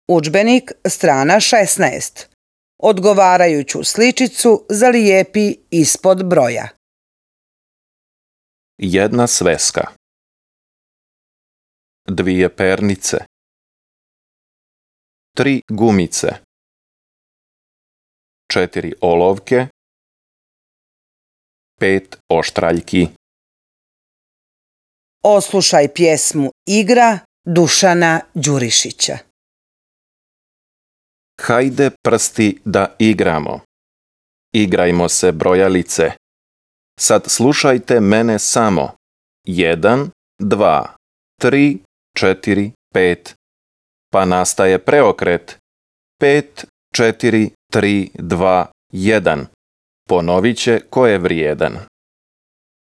Udžbenik, strana 16. Odgovarajuću sličicu zalijepi ispod broja. Jedna sveska. Dvije pernice. 3 gumice. 4 olovke. 5 oštraljki. Oslušaj pjesmu Igra Dušana Đurišića. Hajde prsti da igramo. Igrajmo se brojalice. Sad slušajte mene samo. 1, 2, 3, 4, 5. Pa nastaje preokret. 5, 4, 3, 2, 1. Ponovit će ko je vrijedan.